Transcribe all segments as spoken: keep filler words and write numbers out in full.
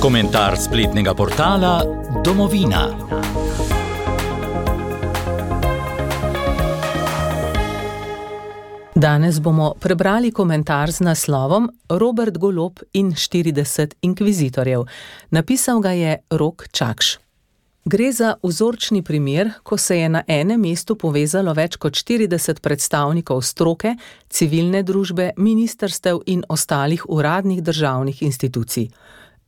Komentar spletnega portala Domovina. Danes bomo prebrali komentar z naslovom Robert Golob in štirideset inkvizitorjev. Napisal ga je Rok Čakš. Gre za vzorčni primer, ko se je na enem mestu povezalo več kot štirideset predstavnikov stroke, civilne družbe, ministrstev in ostalih uradnih državnih institucij.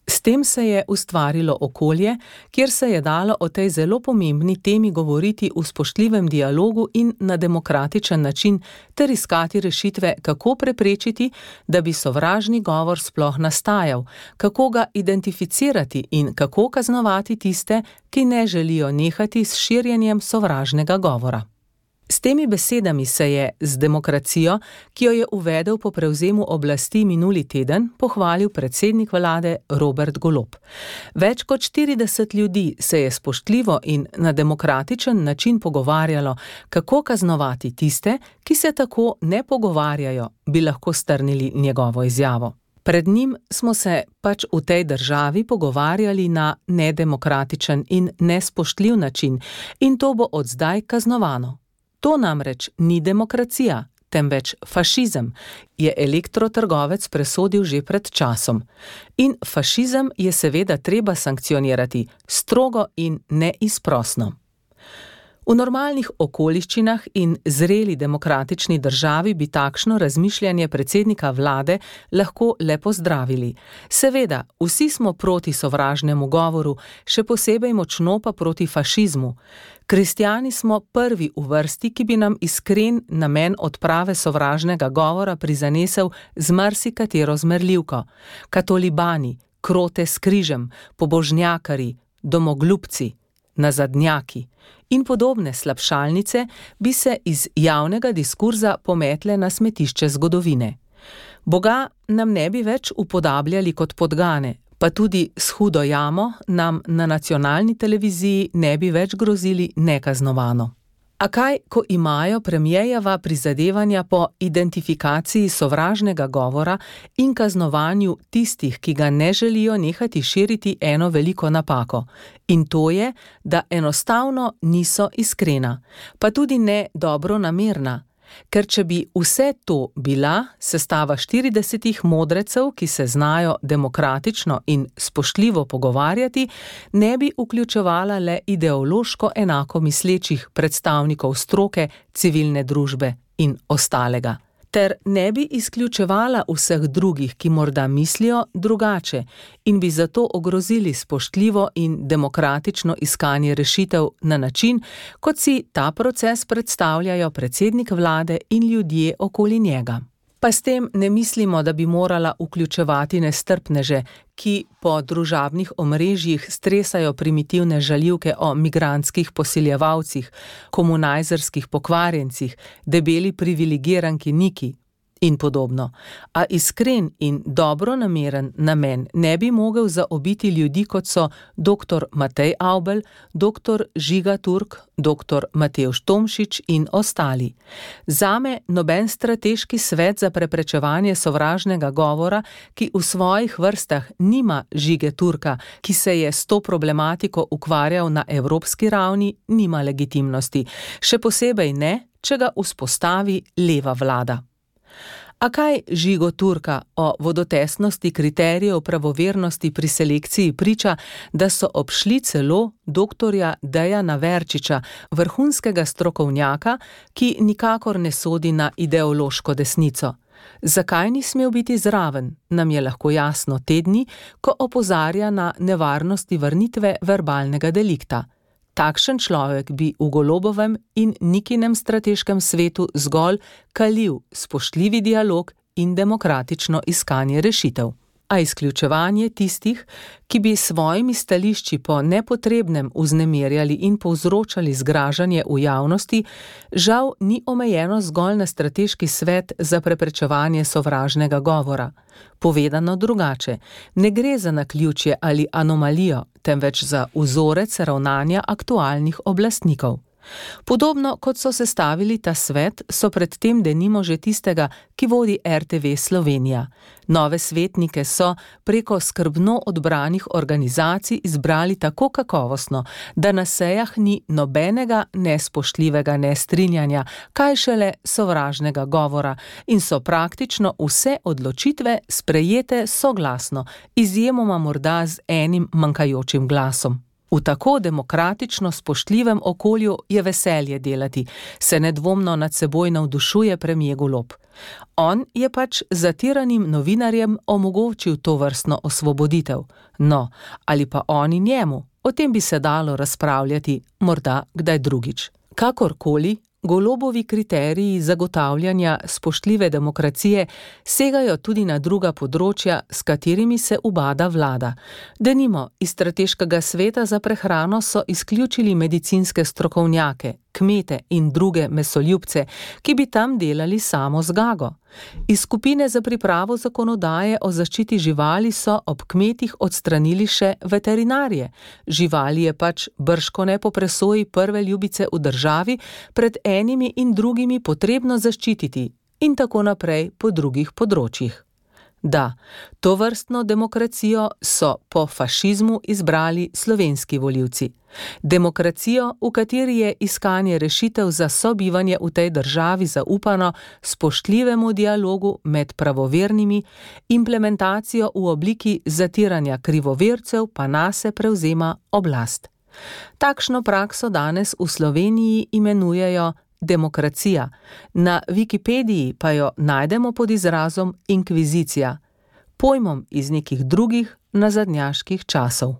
S tem se je ustvarilo okolje, kjer se je dalo o tej zelo pomembni temi govoriti v spoštljivem dialogu in na demokratičen način ter iskati rešitve, kako preprečiti, da bi sovražni govor sploh nastajal, kako ga identificirati in kako kaznovati tiste, ki ne želijo nehati s širjenjem sovražnega govora. S temi besedami se je z demokracijo, ki jo je uvedel po prevzemu oblasti minuli teden, pohvalil predsednik vlade Robert Golob. Več kot štirideset ljudi se je spoštljivo in na demokratičen način pogovarjalo, kako kaznovati tiste, ki se tako ne pogovarjajo, bi lahko strnili njegovo izjavo. Pred njim smo se pač v tej državi pogovarjali na nedemokratičen in nespoštljiv način in to bo od zdaj kaznovano. To namreč ni demokracija, temveč fašizem, je elektrotrgovec presodil že pred časom. In fašizem je seveda treba sankcionirati, strogo in neizprosno. V normalnih okoliščinah in zreli demokratični državi bi takšno razmišljanje predsednika vlade lahko le pozdravili. Seveda, vsi smo proti sovražnemu govoru, še posebej močno pa proti fašizmu. Kristjani smo prvi v vrsti, ki bi nam iskren namen odprave sovražnega govora prizanesel z marsikatero zmerljivko. Katolibani, krote s križem, pobožnjakari, domoglupci, nazadnjaki in podobne slabšalnice bi se iz javnega diskurza pometle na smetišče zgodovine. Boga nam ne bi več upodabljali kot podgane, pa tudi s hudo jamo nam na nacionalni televiziji ne bi več grozili nekaznovano. A kaj, ko imajo premierjeva prizadevanja po identifikaciji sovražnega govora in kaznovanju tistih, ki ga ne želijo nehati širiti, eno veliko napako. In to je, da enostavno niso iskrena, pa tudi ne dobronamerna. Ker če bi vse to bila sestava štiridesetih modrecev, ki se znajo demokratično in spoštljivo pogovarjati, ne bi vključevala le ideološko enako mislečih predstavnikov stroke, civilne družbe in ostalega. Ter ne bi izključevala vseh drugih, ki morda mislijo drugače in bi zato ogrozili spoštljivo in demokratično iskanje rešitev na način, kot si ta proces predstavljajo predsednik vlade in ljudje okoli njega. Pa s tem ne mislimo, da bi morala vključevati nestrpneže, ki po družabnih omrežjih stresajo primitivne žaljivke o migrantskih posiljevalcih, komunajzerskih pokvarjencih, debeli privilegiranki Niki in podobno. A iskren in dobronameren namen ne bi mogel zaobiti ljudi, kot so doktor Matej Avbelj, doktor Žiga Turk, doktor Matevž Tomšič in ostali. Zame noben strateški svet za preprečevanje sovražnega govora, ki v svojih vrstah nima Žige Turka, ki se je s to problematiko ukvarjal na evropski ravni, nima legitimnosti. Še posebej ne, če ga vzpostavi leva vlada. A kaj Žigo Turka o vodotesnosti kriterijev pravovernosti pri selekciji priča, da so obšli celo doktorja Dejana Verčiča, vrhunskega strokovnjaka, ki nikakor ne sodi na ideološko desnico. Zakaj ni smel biti zraven, nam je lahko jasno te dni, ko opozarja na nevarnosti vrnitve verbalnega delikta. Takšen človek bi v Golobovem in Nikinem strateškem svetu zgolj kalil spoštljivi dialog in demokratično iskanje rešitev. A izključevanje tistih, ki bi svojimi stališči po nepotrebnem vznemirjali in povzročali zgražanje v javnosti, žal ni omejeno zgolj na strateški svet za preprečevanje sovražnega govora. Povedano drugače, ne gre za naključje ali anomalijo, temveč za vzorec ravnanja aktualnih oblastnikov. Podobno kot so sestavili ta svet, so predtem denimo že tistega, ki vodi R T V Slovenija. Nove svetnike so preko skrbno odbranih organizacij izbrali tako kakovostno, da na sejah ni nobenega nespoštljivega nestrinjanja, kaj šele sovražnega govora, in so praktično vse odločitve sprejete soglasno, izjemoma morda z enim manjkajočim glasom. V tako demokratično spoštljivem okolju je veselje delati, se nedvomno nad seboj navdušuje premier Golob. On je pač zatiranim novinarjem omogočil to vrstno osvoboditev. No, ali pa oni njemu, o tem bi se dalo razpravljati, morda kdaj drugič. Kakorkoli, Golobovi kriteriji zagotavljanja spoštljive demokracije segajo tudi na druga področja, s katerimi se ubada vlada. Denimo, iz strateškega sveta za prehrano so izključili medicinske strokovnjake, kmete in druge mesoljubce, ki bi tam delali samo zgago. Iz skupine za pripravo zakonodaje o zaščiti živali so ob kmetih odstranili še veterinarje. Živali je pač bržkone po presoji prve ljubice v državi pred enimi in drugimi potrebno zaščititi in tako naprej po drugih področjih. Da, tovrstno demokracijo so po fašizmu izbrali slovenski volivci. Demokracijo, v kateri je iskanje rešitev za sobivanje v tej državi zaupano spoštljivemu dialogu med pravovernimi, implementacijo v obliki zatiranja krivovercev pa nase prevzema oblast. Takšno prakso danes v Sloveniji imenujejo demokracija. Na Wikipediji pa jo najdemo pod izrazom inkvizicija, pojmom iz nekih drugih nazadnjaških časov.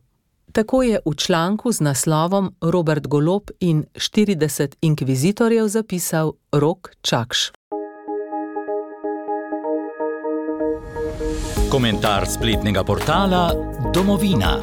Tako je v članku z naslovom Robert Golob in štirideset inkvizitorjev zapisal Rok Čakš. Komentar spletnega portala Domovina.